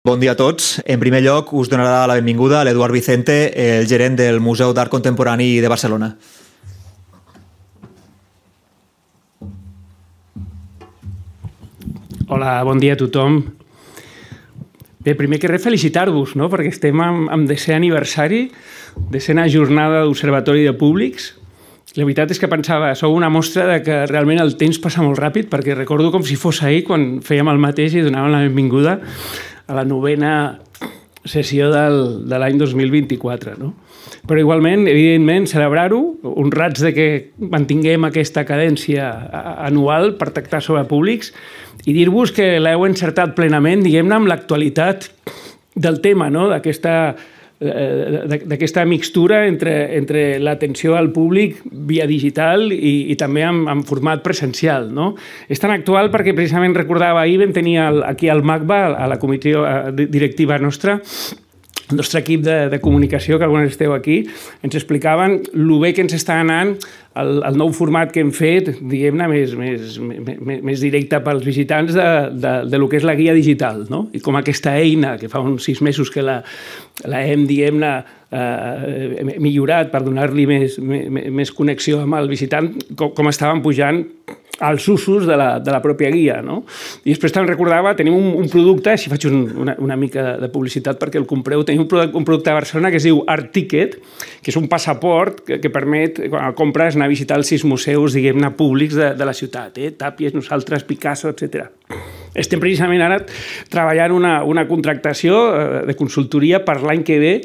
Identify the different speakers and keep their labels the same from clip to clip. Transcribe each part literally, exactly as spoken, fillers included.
Speaker 1: Bon dia a tots. En primer lloc, us donarà la benvinguda l'Eduard Vicente, el gerent del Museu d'Art Contemporani de Barcelona.
Speaker 2: Hola, bon dia a tothom. Bé, primer que res, felicitar-vos, no? Perquè estem en, en desè aniversari, desena jornada d'Observatori de Públics. La veritat és que pensava, sou una mostra de que realment el temps passa molt ràpid, perquè recordo com si fos ahir quan fèiem el mateix i donàvem la benvinguda a la novena sessió del, de l'any dos mil vint-i-quatre. No? Però igualment, evidentment, celebrar-ho, honrats de que mantinguem aquesta cadència anual per tractar sobre públics i dir-vos que l'heu encertat plenament, diguem-ne, amb l'actualitat del tema, no? d'aquesta d'aquesta mixtura entre, entre l'atenció al públic via digital i, i també en, en format presencial. No? És tan actual perquè precisament recordava ahir vam tenir el, aquí al MACBA, a la comissió directiva nostra, el nostre equip de, de comunicació, que alguns esteu aquí, ens explicaven el bé que ens està anant el, el nou format que hem fet, diguem-ne, més, més, més, més directe pels visitants de, de, de lo que és la guia digital, no? I com aquesta eina, que fa uns sis mesos que la, la hem, diguem-ne, eh, millorat per donar-li més, més, més connexió amb el visitant, com, com estaven pujant als usos de la, de la pròpia guia. No? I després te'n recordava, tenim un, un producte, si faig un, una, una mica de publicitat perquè el compreu, tenim un producte, un producte a Barcelona que es diu Art Ticket, que és un passaport que, que permet, quan el compres, anar a visitar els sis museus, diguem-ne, públics de, de la ciutat, eh? Tàpies, nosaltres, Picasso, etcètera. Estem precisament ara treballant una, una contractació de consultoria per l'any que ve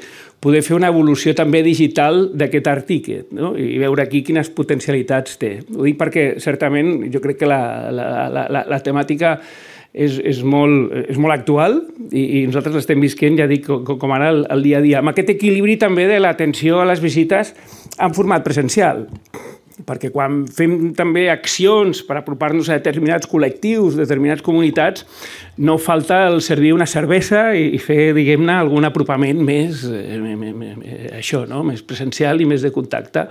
Speaker 2: poder fer una evolució també digital d'aquest Art Ticket, no? I veure aquí quines potencialitats té. Ho dic perquè, certament, jo crec que la, la, la, la, la temàtica és, és, molt, és molt actual i, i nosaltres l'estem visquent, ja dic, com, com ara el, el dia a dia, amb aquest equilibri també de l'atenció a les visites en format presencial. Perquè quan fem també accions per apropar-nos a determinats col·lectius, determinades comunitats, no falta el servir una cervesa i fer, diguem-ne, algun apropament més, eh, això, no? Més presencial i més de contacte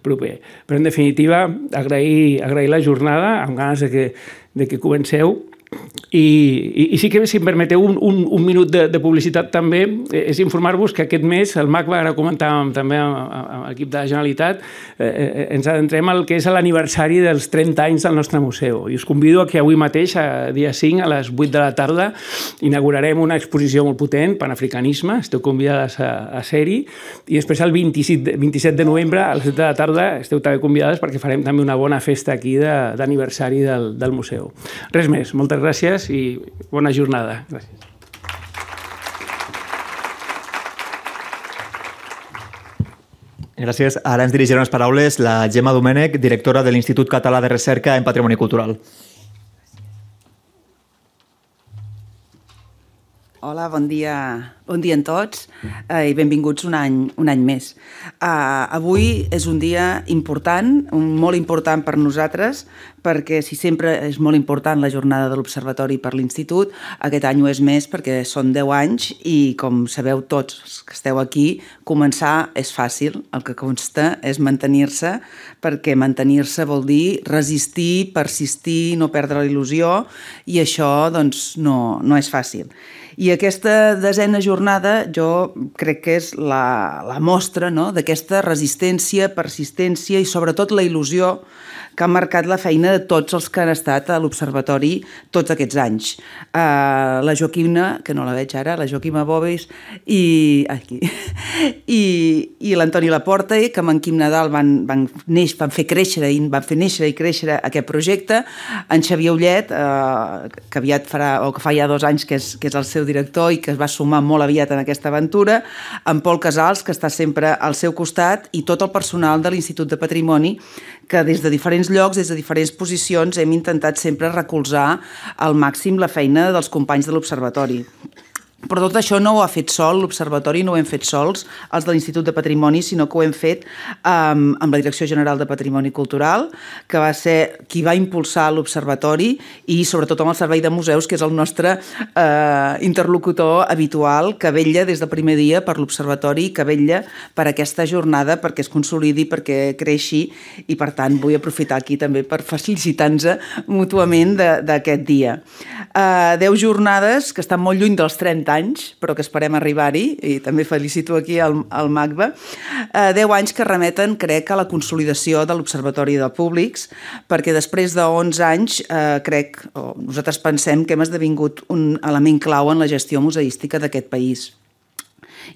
Speaker 2: proper. Però, en definitiva, agrair, agrair la jornada, amb ganes de que, de que comenceu. I, i, i sí que, si em permeteu un, un, un minut de, de publicitat també, és informar-vos que aquest mes, el MACBA, ara comentàvem també amb, amb l'equip de la Generalitat, eh, ens adentrem al que és l'aniversari dels trenta anys del nostre museu. I us convido a que avui mateix, a dia cinc, a les vuit de la tarda, inaugurarem una exposició molt potent, Panafricanisme, esteu convidades a, a ser-hi, i després el vint-i-set de novembre, a les set de la tarda, esteu també convidades perquè farem també una bona festa aquí d'aniversari de, del, del museu. Res més, moltes gràcies i bona jornada. Gràcies.
Speaker 1: Gràcies. Ara ens dirigirà unes paraules la Gemma Domènech, directora de l'Institut Català de Recerca en Patrimoni Cultural.
Speaker 3: Hola, bon dia, bon dia a tots eh, i benvinguts un any, un any més. Uh, avui és un dia important, molt important per nosaltres, perquè si sempre és molt important la jornada de l'Observatori per l'Institut, aquest any ho és més perquè són deu anys i, com sabeu tots que esteu aquí, començar és fàcil, el que consta és mantenir-se, perquè mantenir-se vol dir resistir, persistir, no perdre la il·lusió, i això doncs, no, no és fàcil. I aquesta desena jornada jo crec que és la, la mostra, no?, d'aquesta resistència, persistència i sobretot la il·lusió que ha marcat la feina de tots els que han estat a l'Observatori tots aquests anys. Uh, la Joaquima, que no la veig ara, la Joaquima Boves i, aquí, i, i l'Antoni Laporta, que amb en Quim Nadal van, van, neix, van fer créixer i van fer néixer i créixer aquest projecte, en Xavier Ullet, uh, que aviat farà, o que fa ja dos anys que és, que és el seu director i que es va sumar molt aviat en aquesta aventura, en Pol Casals, que està sempre al seu costat, i tot el personal de l'Institut de Patrimoni, que des de diferents llocs, des de diferents posicions, hem intentat sempre recolzar al màxim la feina dels companys de l'Observatori. Però tot això no ho ha fet sol, l'Observatori no ho hem fet sols, els de l'Institut de Patrimoni, sinó que ho hem fet um, amb la Direcció General de Patrimoni Cultural, que va ser qui va impulsar l'Observatori, i sobretot amb el Servei de Museus, que és el nostre uh, interlocutor habitual, que vetlla des del primer dia per l'Observatori, que vetlla per aquesta jornada, perquè es consolidi, perquè creixi, i per tant vull aprofitar aquí també per felicitar-nos mútuament d'aquest dia. Uh, deu jornades que estan molt lluny dels trenta anys, però que esperem arribar-hi, i també felicito aquí el, el MACBA, eh, deu anys que remeten, crec, a la consolidació de l'Observatori de Públics, perquè després d'onze anys, eh, crec, o nosaltres pensem que hem esdevingut un element clau en la gestió museística d'aquest país.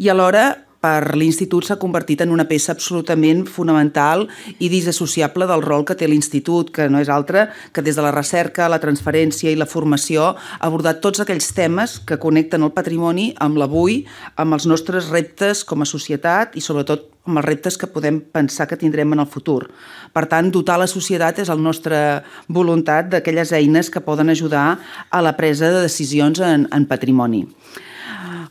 Speaker 3: I alhora, per l'Institut s'ha convertit en una peça absolutament fonamental i disassociable del rol que té l'Institut, que no és altre que des de la recerca, la transferència i la formació abordar tots aquells temes que connecten el patrimoni amb l'avui, amb els nostres reptes com a societat i sobretot amb els reptes que podem pensar que tindrem en el futur. Per tant, dotar la societat és la nostra voluntat d'aquelles eines que poden ajudar a la presa de decisions en, en patrimoni.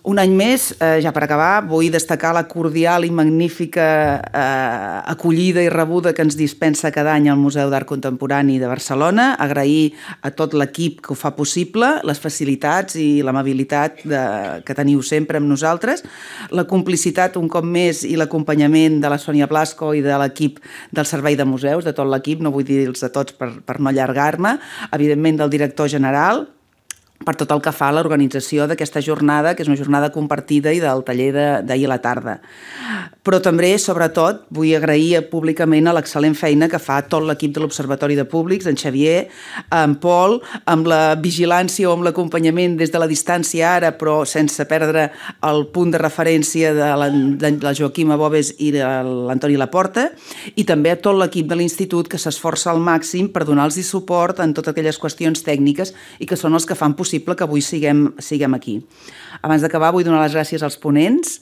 Speaker 3: Un any més, eh, ja per acabar, vull destacar la cordial i magnífica eh, acollida i rebuda que ens dispensa cada any al Museu d'Art Contemporani de Barcelona, agrair a tot l'equip que ho fa possible, les facilitats i l'amabilitat que teniu sempre amb nosaltres, la complicitat un cop més i l'acompanyament de la Sònia Blasco i de l'equip del Servei de Museus, de tot l'equip, no vull dir-los a tots per, per no allargar-me, evidentment del director general, per tot el que fa a l'organització d'aquesta jornada, que és una jornada compartida i del taller d'ahir a la tarda. Però també, sobretot, vull agrair públicament a l'excel·lent feina que fa tot l'equip de l'Observatori de Públics, en Xavier, en Pol, amb la vigilància o amb l'acompanyament des de la distància ara, però sense perdre el punt de referència de la, de la Joaquima Bobes i de l'Antoni Laporta, i també a tot l'equip de l'Institut que s'esforça al màxim per donar-los suport en totes aquelles qüestions tècniques i que són els que fan possible que avui siguem, siguem aquí. Abans d'acabar, vull donar les gràcies als ponents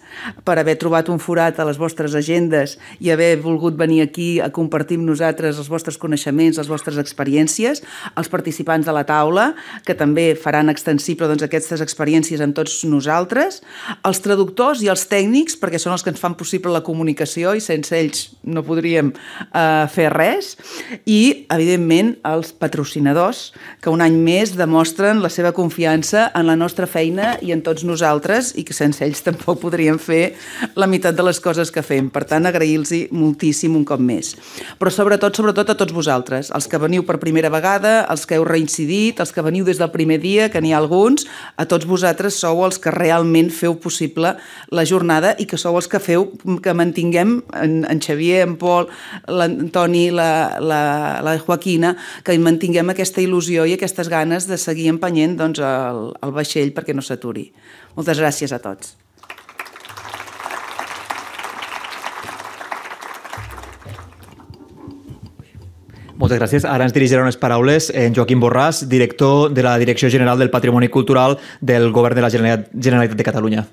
Speaker 3: per haver trobat un forat a les vostres agendes i haver volgut venir aquí a compartir amb nosaltres els vostres coneixements, les vostres experiències, als participants de la taula, que també faran extensible doncs, aquestes experiències amb tots nosaltres, als traductors i als tècnics, perquè són els que ens fan possible la comunicació i sense ells no podríem eh, fer res, i, evidentment, als patrocinadors, que un any més demostren la seva confiança en la nostra feina i en tots nosaltres i que sense ells tampoc podríem fer la meitat de les coses que fem. Per tant, agrair-los moltíssim un cop més. Però sobretot, sobretot a tots vosaltres, els que veniu per primera vegada, els que heu reincidit, els que veniu des del primer dia, que n'hi ha alguns, a tots vosaltres sou els que realment feu possible la jornada i que sou els que feu que mantinguem en, en Xavier, en Pol, l'Antoni, la, la, la Joaquina, que mantinguem aquesta il·lusió i aquestes ganes de seguir empenyent doncs, el, el vaixell perquè no s'aturi. Moltes gràcies a tots.
Speaker 1: Moltes gràcies. Ara ens dirigirà unes paraules en Joaquim Borràs, director de la Direcció General del Patrimoni Cultural del Govern de la Generalitat de Catalunya.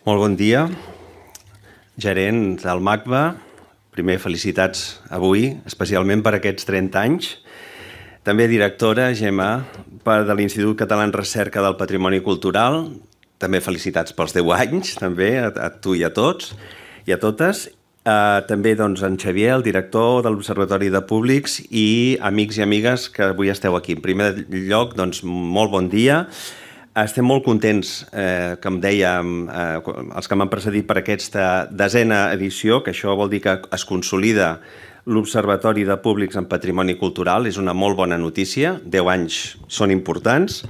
Speaker 4: Molt bon dia. Gerent del MACBA, primer felicitats avui, especialment per aquests trenta anys. També directora, Gemma, de l'Institut Català en Recerca del Patrimoni Cultural. També felicitats pels deu anys, també, a, a tu i a tots i a totes. Uh, també doncs, en Xavier, el director de l'Observatori de Públics, i amics i amigues que avui esteu aquí. En primer lloc, doncs, molt bon dia. Estem molt contents, eh, com dèiem, eh, els que m'han precedit per aquesta desena edició, que això vol dir que es consolida l'Observatori de Públics en Patrimoni Cultural. És una molt bona notícia, deu anys són importants.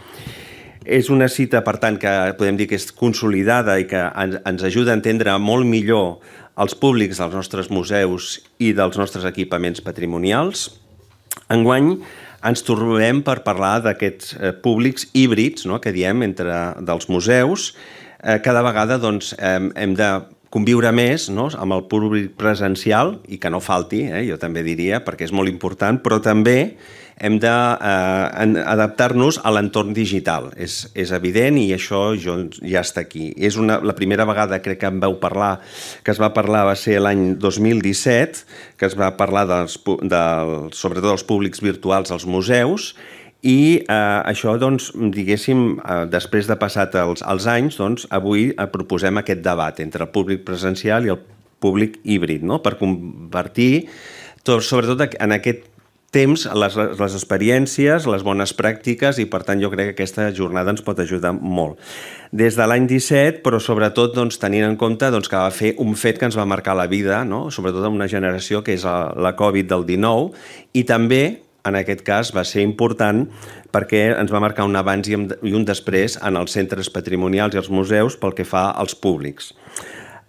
Speaker 4: És una cita, per tant, que podem dir que és consolidada i que ens ajuda a entendre molt millor els públics dels nostres museus i dels nostres equipaments patrimonials. Enguany ens trobem per parlar d'aquests eh, públics híbrids, no?, que diem entre dels museus. Eh, cada vegada doncs, eh, hem de conviure més, no?, amb el públic presencial, i que no falti, eh, jo també diria, perquè és molt important, però també hem d'adaptar-nos a l'entorn digital. És, és evident i això ja està aquí. És una, la primera vegada, crec que em vau parlar, que es va parlar va ser l'any dos mil disset, que es va parlar dels, del, sobretot dels públics virtuals als museus, i eh, això, doncs, diguéssim, eh, després de passat els, els anys, doncs, avui eh, proposem aquest debat entre el públic presencial i el públic híbrid, no?, per convertir, tot, sobretot en aquest temps, les, les experiències, les bones pràctiques i, per tant, jo crec que aquesta jornada ens pot ajudar molt. Des de l'any disset, però sobretot doncs, tenint en compte doncs, que va fer un fet que ens va marcar la vida, no? Sobretot en una generació que és la, la Covid del dinou, i també, en aquest cas, va ser important perquè ens va marcar un abans i un després en els centres patrimonials i els museus pel que fa als públics.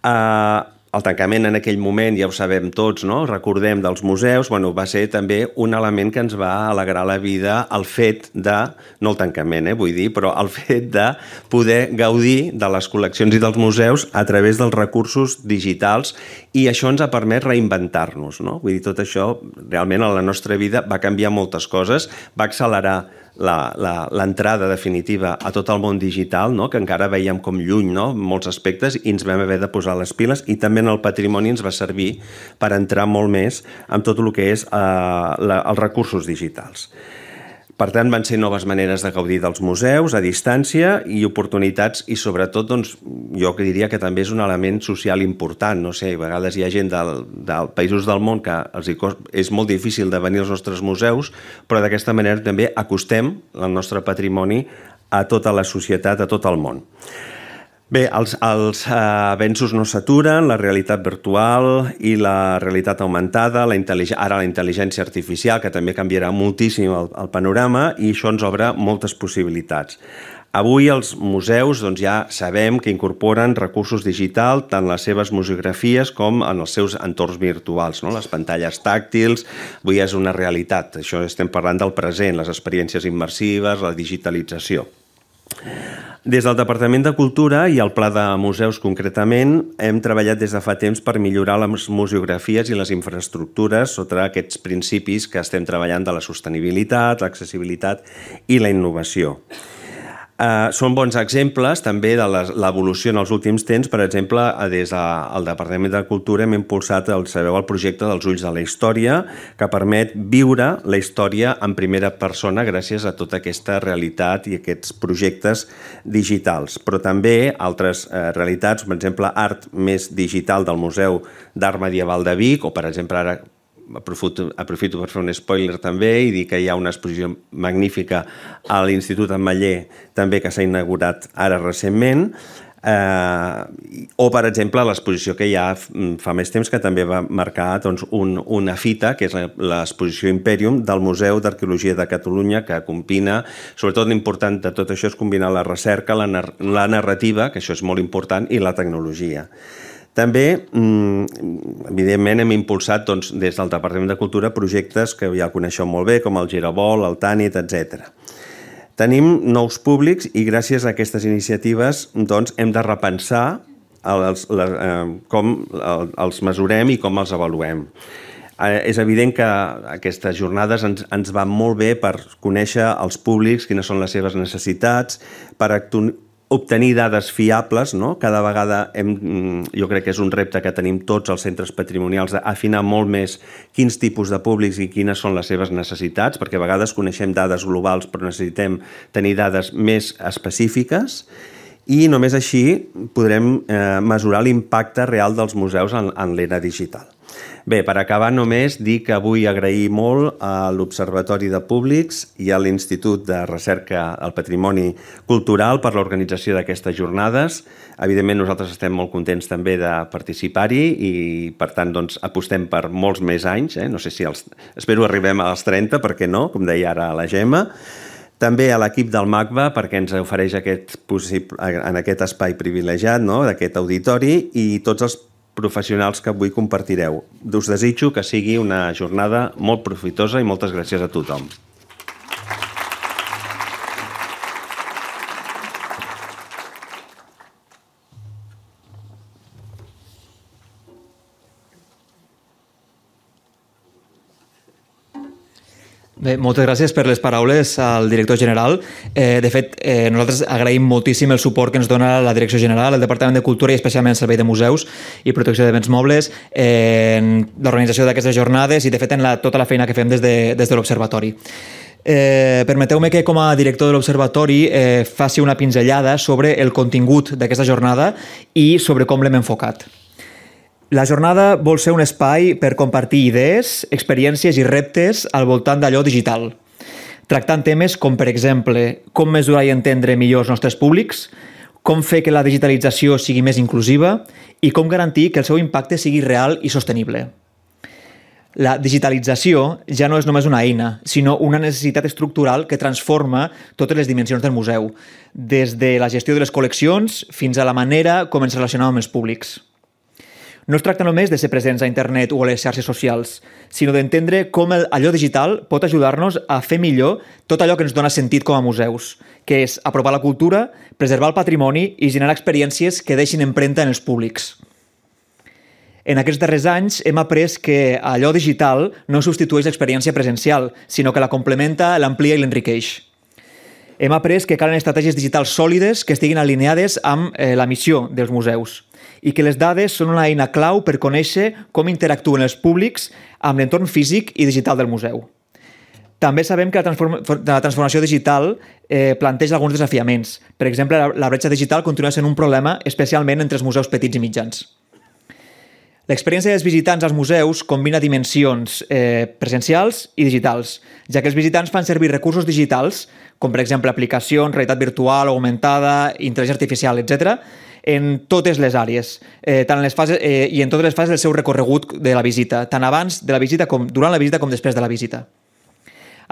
Speaker 4: Uh, El tancament en aquell moment, ja ho sabem tots, no? Recordem dels museus, bueno, va ser també un element que ens va alegrar la vida, el fet de, no el tancament, eh, vull dir, però el fet de poder gaudir de les col·leccions i dels museus a través dels recursos digitals, i això ens ha permès reinventar-nos, no? Vull dir, tot això realment a la nostra vida va canviar moltes coses, va accelerar l'entrada definitiva a tot el món digital, no? Que encara veiem com lluny, no? Molts aspectes, i ens vam haver de posar les piles, i també en el patrimoni ens va servir per entrar molt més en tot el que és eh, la, els recursos digitals. Per tant, van ser noves maneres de gaudir dels museus a distància i oportunitats, i sobretot, doncs, jo diria que també és un element social important. No sé, a vegades hi ha gent del, del països del món que els hi cost, és molt difícil de venir als nostres museus, però d'aquesta manera també acostem el nostre patrimoni a tota la societat, a tot el món. Bé, els, els eh, avenços no s'aturen, la realitat virtual i la realitat augmentada, la ara la intel·ligència artificial, que també canviarà moltíssim el, el panorama, i això ens obre moltes possibilitats. Avui els museus doncs, ja sabem que incorporen recursos digitals, tant les seves museografies com en els seus entorns virtuals, no? Les pantalles tàctils, avui és una realitat, això estem parlant del present, les experiències immersives, la digitalització. Des del Departament de Cultura i el Pla de Museus concretament hem treballat des de fa temps per millorar les museografies i les infraestructures sota aquests principis que estem treballant de la sostenibilitat, l'accessibilitat i la innovació. Uh, són bons exemples també de l'evolució en els últims temps. Per exemple, des del Departament de Cultura hem impulsat el, sabeu, el projecte dels Ulls de la Història, que permet viure la història en primera persona gràcies a tota aquesta realitat i aquests projectes digitals. Però també altres eh, realitats, per exemple, art més digital del Museu d'Art Medieval de Vic, o per exemple ara Aprofito, aprofito per fer un spoiler també i dir que hi ha una exposició magnífica a l'Institut Ametller també que s'ha inaugurat ara recentment, eh, o per exemple l'exposició que hi ha fa més temps que també va marcar doncs, un, una fita, que és l'exposició Imperium del Museu d'Arqueologia de Catalunya, que combina, sobretot l'important de tot això és combinar la recerca, la, nar la narrativa, que això és molt important, i la tecnologia. També, evidentment, hem impulsat doncs, des del Departament de Cultura projectes que ja coneixeu molt bé, com el Girabol, el Tànit, etcètera. Tenim nous públics i gràcies a aquestes iniciatives doncs, hem de repensar els, les, eh, com els mesurem i com els avaluem. Eh, és evident que aquestes jornades ens, ens van molt bé per conèixer els públics, quines són les seves necessitats, per actuar obtenir dades fiables, no? Cada vegada hem, jo crec que és un repte que tenim tots els centres patrimonials d'afinar molt més quins tipus de públics i quines són les seves necessitats, perquè a vegades coneixem dades globals però necessitem tenir dades més específiques i només així podrem eh, mesurar l'impacte real dels museus en, en l'era digital. Bé, per acabar només dir que vull agrair molt a l'Observatori de Públics i a l'Institut de Recerca al Patrimoni Cultural per l'organització d'aquestes jornades. Evidentment nosaltres estem molt contents també de participar-hi i per tant doncs, apostem per molts més anys. Eh? No sé si els... Espero arribem als trenta, per què no, com deia ara la Gemma. També a l'equip del MACBA perquè ens ofereix aquest possible, en aquest espai privilegiat, no? D'aquest auditori, i tots els professionals que avui compartireu. Us desitjo que sigui una jornada molt profitosa i moltes gràcies a tothom.
Speaker 1: Bé, moltes gràcies per les paraules al director general. Eh, de fet, eh, nosaltres agraïm moltíssim el suport que ens dona la Direcció General, el Departament de Cultura i especialment el Servei de Museus i Protecció de Béns Mobles eh, en l'organització d'aquestes jornades i, de fet, en la, tota la feina que fem des de, des de l'Observatori. Eh, permeteu-me que com a director de l'Observatori eh, faci una pinzellada sobre el contingut d'aquesta jornada i sobre com l'hem enfocat. La jornada vol ser un espai per compartir idees, experiències i reptes al voltant d'allò digital, tractant temes com, per exemple, com mesurar i entendre millor els nostres públics, com fer que la digitalització sigui més inclusiva i com garantir que el seu impacte sigui real i sostenible. La digitalització ja no és només una eina, sinó una necessitat estructural que transforma totes les dimensions del museu, des de la gestió de les col·leccions fins a la manera com ens relacionem amb els públics. No es tracta només de ser presents a internet o a les xarxes socials, sinó d'entendre com allò digital pot ajudar-nos a fer millor tot allò que ens dona sentit com a museus, que és apropar la cultura, preservar el patrimoni i generar experiències que deixin empremta en els públics. En aquests darrers anys hem après que allò digital no substitueix l'experiència presencial, sinó que la complementa, l'amplia i l'enriqueix. Hem après que calen estratègies digitals sòlides que estiguin alineades amb eh, la missió dels museus i que les dades són una eina clau per conèixer com interactuen els públics amb l'entorn físic i digital del museu. També sabem que la, transform la transformació digital eh, planteja alguns desafiaments. Per exemple, la, la bretxa digital continua sent un problema, especialment entre els museus petits i mitjans. L'experiència dels visitants als museus combina dimensions eh, presencials i digitals, ja que els visitants fan servir recursos digitals, com per exemple aplicacions, realitat virtual, augmentada, intel·ligència artificial, etcètera, en totes les àrees, eh, tant en les fases, eh, i en totes les fases del seu recorregut de la visita, tant abans de la visita com durant la visita com després de la visita.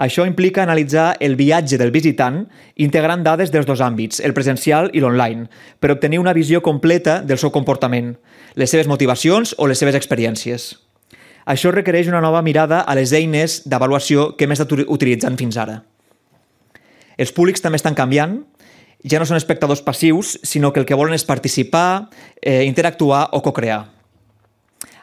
Speaker 1: Això implica analitzar el viatge del visitant integrant dades dels dos àmbits, el presencial i l'online, per obtenir una visió completa del seu comportament, les seves motivacions o les seves experiències. Això requereix una nova mirada a les eines d'avaluació que hem estat utilitzant fins ara. Els públics també estan canviant, ja no són espectadors passius, sinó que el que volen és participar, eh, interactuar o co-crear.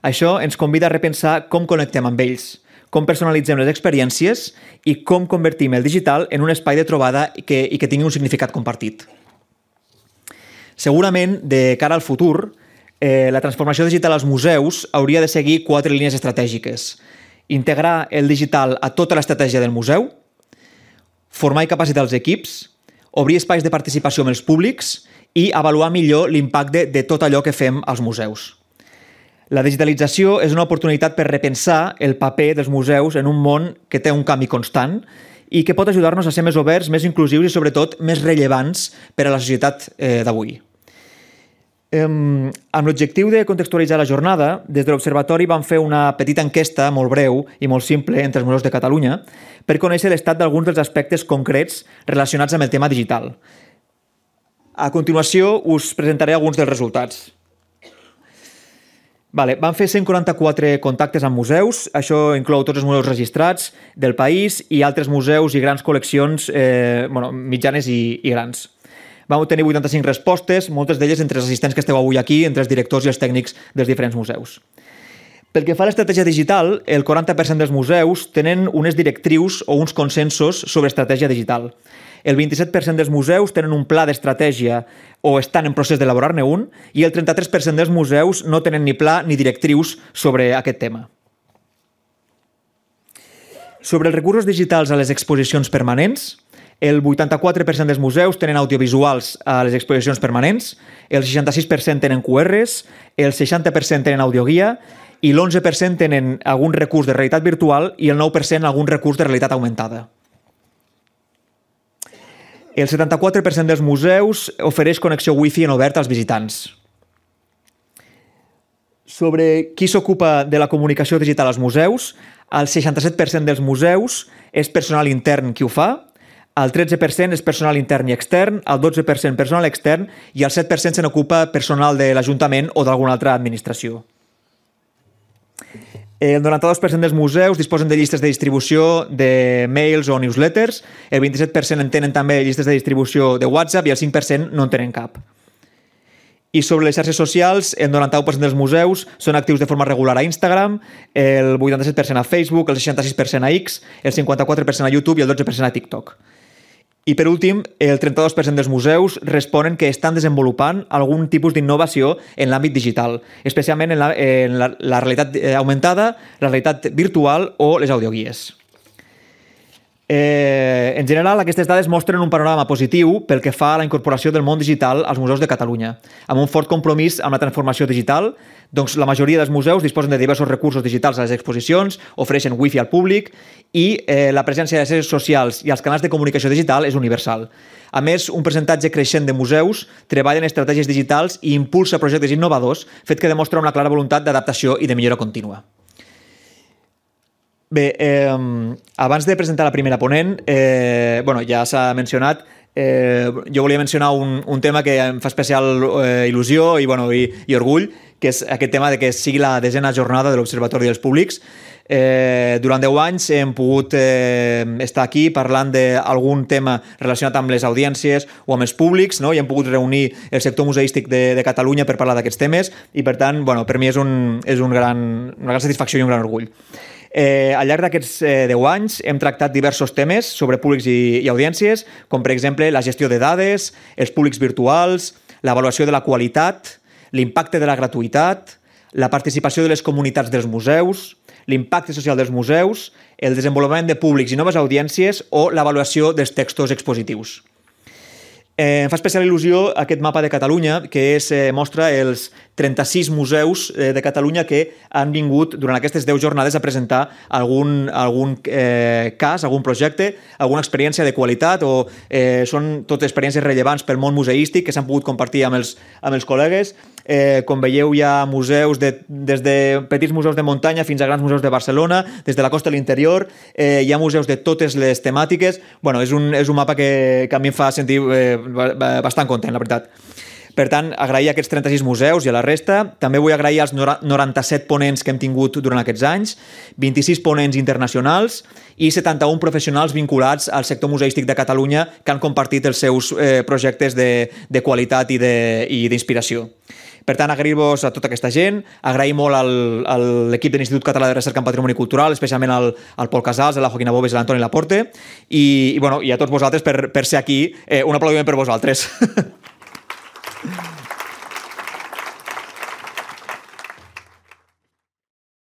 Speaker 1: Això ens convida a repensar com connectem amb ells, com personalitzem les experiències i com convertim el digital en un espai de trobada i que, i que tingui un significat compartit. Segurament, de cara al futur, eh, la transformació digital als museus hauria de seguir quatre línies estratègiques. Integrar el digital a tota l'estratègia del museu, formar i capacitar els equips, obrir espais de participació amb els públics i avaluar millor l'impacte de tot allò que fem als museus. La digitalització és una oportunitat per repensar el paper dels museus en un món que té un canvi constant i que pot ajudar-nos a ser més oberts, més inclusius i, sobretot, més rellevants per a la societat eh, d'avui. Eh, amb l'objectiu de contextualitzar la jornada, des de l'Observatori vam fer una petita enquesta molt breu i molt simple entre els museus de Catalunya per conèixer l'estat d'alguns dels aspectes concrets relacionats amb el tema digital. A continuació us presentaré alguns dels resultats. Vale, vam fer cent quaranta-quatre contactes amb museus, això inclou tots els museus registrats del país i altres museus i grans col·leccions eh, bueno, mitjanes i, i grans. Vam obtenir vuitanta-cinc respostes, moltes d'elles entre els assistents que esteu avui aquí, entre els directors i els tècnics dels diferents museus. Pel que fa a l'estratègia digital, el quaranta per cent dels museus tenen unes directrius o uns consensos sobre estratègia digital. El vint-i-set per cent dels museus tenen un pla d'estratègia o estan en procés d'elaborar-ne un i el trenta-tres per cent dels museus no tenen ni pla ni directrius sobre aquest tema. Sobre els recursos digitals a les exposicions permanents, el vuitanta-quatre per cent dels museus tenen audiovisuals a les exposicions permanents, el seixanta-sis per cent tenen Q Rs, el seixanta per cent tenen audioguia i l'onze per cent tenen algun recurs de realitat virtual i el nou per cent algun recurs de realitat augmentada. El setanta-quatre per cent dels museus ofereix connexió wifi en obert als visitants. Sobre qui s'ocupa de la comunicació digital als museus, el seixanta-set per cent dels museus és personal intern qui ho fa, el tretze per cent és personal intern i extern, el dotze per cent personal extern i el set per cent se n'ocupa personal de l'Ajuntament o d'alguna altra administració. El noranta-dos per cent dels museus disposen de llistes de distribució de mails o newsletters, el vint-i-set per cent en tenen també llistes de distribució de WhatsApp i el cinc per cent no en tenen cap. I sobre les xarxes socials, el noranta-u per cent dels museus són actius de forma regular a Instagram, el vuitanta-set per cent a Facebook, el seixanta-sis per cent a X, el cinquanta-quatre per cent a YouTube i el dotze per cent a TikTok. I per últim, el trenta-dos per cent dels museus responen que estan desenvolupant algun tipus d'innovació en l'àmbit digital, especialment en la, en la, la realitat augmentada, la realitat virtual o les audioguies. Eh, en general, aquestes dades mostren un panorama positiu pel que fa a la incorporació del món digital als museus de Catalunya. Amb un fort compromís amb la transformació digital, doncs la majoria dels museus disposen de diversos recursos digitals a les exposicions, ofereixen wifi al públic i eh, la presència de les xarxes socials i els canals de comunicació digital és universal. A més, un percentatge creixent de museus treballen estratègies digitals i impulsa projectes innovadors, fet que demostra una clara voluntat d'adaptació i de millora contínua. Bé, eh, abans de presentar la primera ponent, eh, bueno, ja s'ha mencionat, eh, jo volia mencionar un, un tema que em fa especial eh, il·lusió i, bueno, i, i orgull, que és aquest tema de que sigui la desena jornada de l'Observatori dels Públics. Eh, durant deu anys hem pogut eh, estar aquí parlant d'algun tema relacionat amb les audiències o amb els públics, no? I hem pogut reunir el sector museístic de, de Catalunya per parlar d'aquests temes i, per tant, bueno, per mi és, un, és un gran, una gran satisfacció i un gran orgull. Eh, al llarg d'aquests eh, deu anys hem tractat diversos temes sobre públics i, i audiències, com per exemple la gestió de dades, els públics virtuals, l'avaluació de la qualitat, l'impacte de la gratuïtat, la participació de les comunitats dels museus, l'impacte social dels museus, el desenvolupament de públics i noves audiències o l'avaluació dels textos expositius. Eh, em fa especial il·lusió aquest mapa de Catalunya que és, eh, mostra els trenta-sis museus eh, de Catalunya que han vingut durant aquestes deu jornades a presentar algun, algun eh, cas, algun projecte, alguna experiència de qualitat o eh, són totes experiències rellevants pel món museístic que s'han pogut compartir amb els, amb els col·legues. Eh, com veieu, hi ha museus de, des de petits museus de muntanya fins a grans museus de Barcelona, des de la costa a l'interior, eh, hi ha museus de totes les temàtiques. Bueno, és un, és un mapa que, que a mi em fa sentir eh, bastant content, la veritat. Per tant, agrair aquests trenta-sis museus i a la resta. També vull agrair als noranta-set ponents que hem tingut durant aquests anys, vint-i-sis ponents internacionals i setanta-un professionals vinculats al sector museístic de Catalunya que han compartit els seus eh, projectes de, de qualitat i d'inspiració. Per tant, agrair-vos a tota aquesta gent, agrair molt al, a l'equip de l'Institut Català de Recerca en Patrimoni Cultural, especialment al, al Pol Casals, a la Joaquina Bobes i a l'Antoni Laporte, i, i, bueno, i a tots vosaltres per, per ser aquí. Eh, un aplaudiment per vosaltres.